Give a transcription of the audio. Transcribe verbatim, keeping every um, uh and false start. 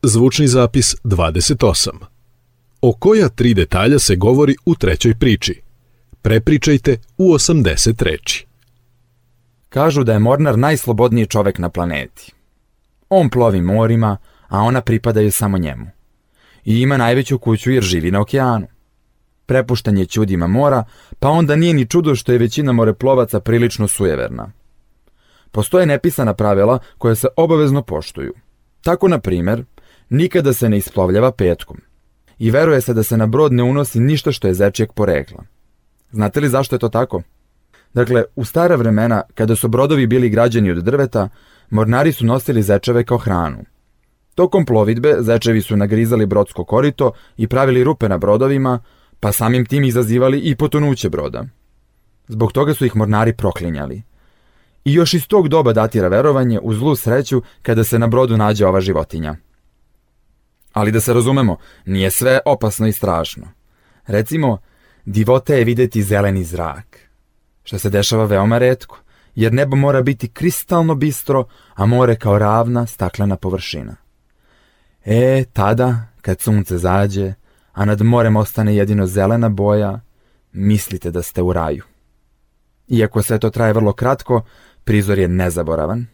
Zvučni zapis dvadeset osam. O koja tri detalja se govori u trećoj priči? Prepričajte u osamdeset reči. Kažu da je mornar najslobodniji čovek na planeti. On plovi morima, a ona pripadaju samo njemu. I ima najveću kuću jer živi na okeanu. Prepušten je ćudima mora, pa onda nije ni čudo što je većina moreplovaca prilično sujeverna. Postoje nepisana pravila koja se obavezno poštuju. Tako, na primer, nikada se ne isplovljava petkom. I veruje se da se na brod ne unosi ništa što je zečijeg porekla. Znate li zašto je to tako? Dakle, u stara vremena, kada su brodovi bili građeni od drveta, mornari su nosili zečeve kao hranu. Tokom plovidbe zečevi su nagrizali brodsko korito i pravili rupe na brodovima, pa samim tim izazivali i potonuće broda. Zbog toga su ih mornari proklinjali. I još iz tog doba datira verovanje u zlu sreću kada se na brodu nađe ova životinja. Ali da se razumemo, nije sve opasno i strašno. Recimo, divota je videti zeleni zrak, što se dešava veoma retko, jer nebo mora biti kristalno bistro, a more kao ravna staklena površina. E, tada, kad sunce zađe, a nad morem ostane jedino zelena boja, mislite da ste u raju. Iako sve to traje vrlo kratko, prizor je nezaboravan.